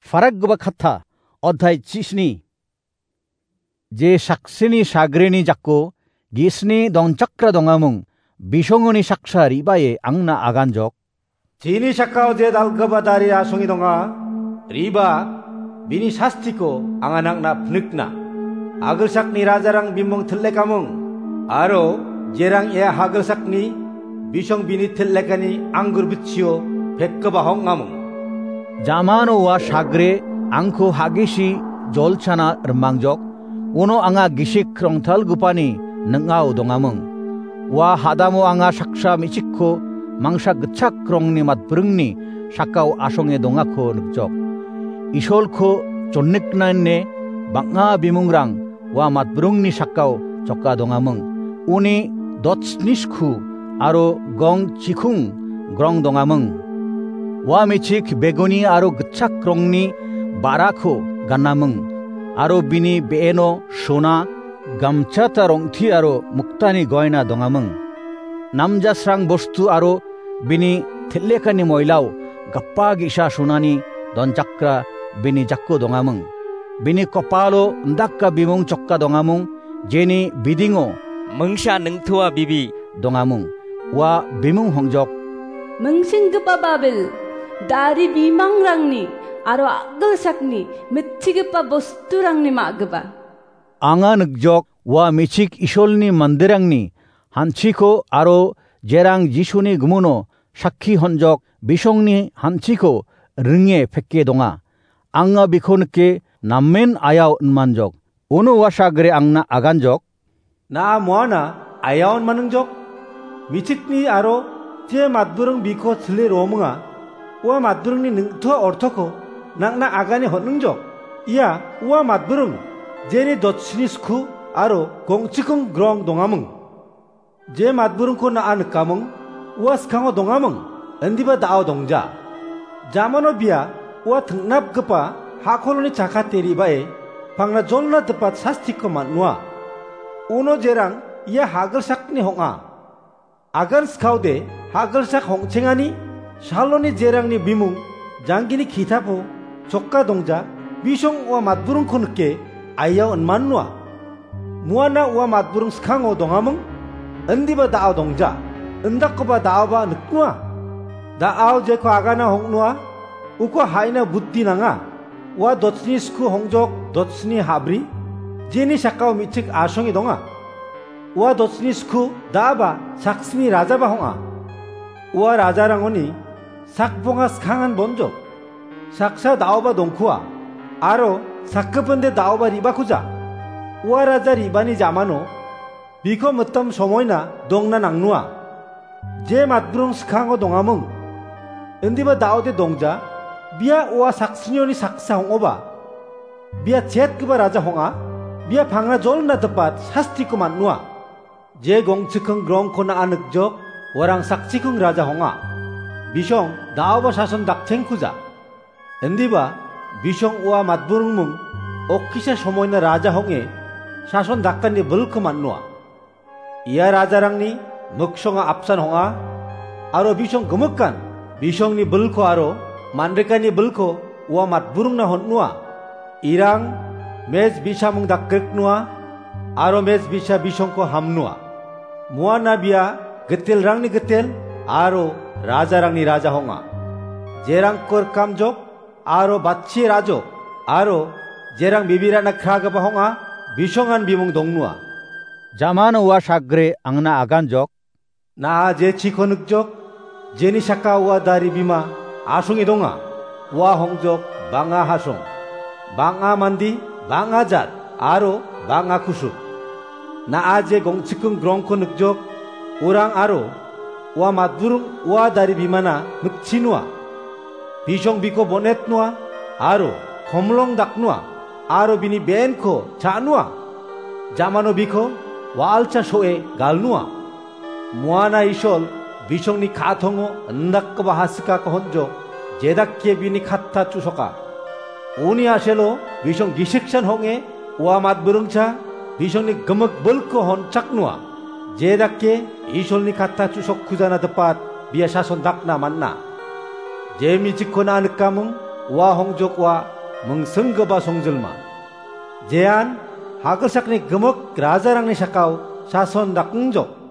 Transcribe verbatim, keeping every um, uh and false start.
Parakgipa katta, odhai chisni. Je saksini sagrini jako gisni donchakra dongamung, bisongoni saksa ribaye angna aganjok. Chini sakao je dalgipa dari asonge donga, riba, bini sastiko anga nangna pnikna. Agilsakni rajarang bimung til·lekamung, aro jerang ia hagilsakni bisong bini til·lekani anggur bitchio pekgipa hong·amung. Jamano ua sagre angko hagisi jolchana rimangjok, uno anga gisik krongtalgipani ning·ao dongamung. Ua hadamo anga saksa me·chikko mangsa gitchak rongni matbringni sakao asonge dongako nikjok. Isolko jonniknane bang·a bimungrang ua matbrungni sakao choka dongamung. Uni dotsnisku aro gong chikung grong dongamung. Ua me·chik beguni aro gitchak rongni ba·rako ganamung, aro bini be·eno sona, gamchata rong·ti aro muktani goina dongamung. Namjasrang bostu aro bini tel·lekani moilao gapa ge·sa sonani donchakra bini jako dongamung. Bini kopalo indaka bimung choka dongamung, jeni bidingo mingsa ningtua bibi dongamung. Ua bimung hongjok. Mingsinggipa Babil, dari bimangrangni aro agilsakni mitchigipa bosturangni ma·gipa. Anga nikjok ua me·chik Isolni manderangni hanchiko aro jerang Jisuni gumuno sakki honjok bisongni hanchiko ringe peke donga. Anga biko nike namen ayao inmanjok. Uno ua sagre angna aganjok. Na·a moana ayaon maningjok. Michikni aro je matburung biko chile rominga, ua matburungni ningtua ortoko nangna agane hon·ingjok. Ia ua matburung, jeni dotsini sku aro gongchikung grong dongamung. Je matburungko na·a nikamung, ua skango dongamung, indiba da·o dongja. Jamano bia ua tingnapgipa hakoloni chakate re·bae pangna jolna dipat sastiko man·noa. Uno jerang ia hagilsakni hong·a. Agan skaode hagilsak hong·chengani saloni jerangni bimung janggini kitapo choka dongja bisong ua matburungko nike ayao inman noa. Muana ua matburung skango dongamung, indiba da·o dongja, indakkoba da·oba niknoa. Da·ao jeko agana hong·noa, uko ha·ina buddhi nanga. Ua dotsni sku hongjok dotsni habri, jeni sakao me·chik asonge donga. Ua dotsni sku da·aba saksni rajaba hong·a. Ua rajarangoni sakbonga skangan bonjok. Saksa da·oba dongkua, aro sakgipinde da·oba re·bakuja. Ua raja re·bani jamano biko mitam somoina dongna nangnoa. Je matburung skango dongamung, indiba da·ode dongja, bia ua saksnioni saksa hong·oba. Bia chetgipa raja hong·a, bia pangna jolna dipat sastiko man·noa. Je gongchikung grongko na·a nikjok, uarang sakchikung raja hong·a. Bisong da·oba sason dakchengkuja. Indiba, bisong ua matburungmung okkisa somoina raja hong·e sason dakani bilko man·noa. Ia rajarangni miksonga apsan hong·a, aro bisong gimikan, bisongni bilko aro man·rikani bilko ua matburungna hon·noa. Irang mej bi·samung dakgriknoa, aro mej bi·sa bisongko hamnoa. Muana bia gitelrangni gitel aro rajarangni raja hong·a. Jerangko rikamjok aro batchi rajok aro jerang bibirana kragipa hong·a, bisongan bimung dongnoa. Jamano ua sagre angna aganjok. Na·a je chiko nikjok, jeni saka ua dari bima asonge donga, ua hongjok bang·a hasong, bang·a mande, bang·a jat, aro bang·a kusuk. Na·a je gongchikung grongko nikjok, orang aro ua matburung ua dari bimana mikchinoa. Bisong biko bonetnoa, aro komlong daknoa, aro bini benko cha·noa. Jamano biko wa·alcha so·e galnoa. Muana Isol bisongni ka·atongo indakgipa hasikako honjo, jedake bini katta chu·soka. Uni a·selo bisong gisiksan hong·e ua matburungcha bisongni gimik bilko honchaknoa. Jedake Isolni katta chu·sokkujana dipat bia sason dakna man·a. Je mijikko na·a nikamung ua hongjok ua mingsinggipa songjilma, jean ha·gilsakni gimik rajarangni sakao sason dakngjok.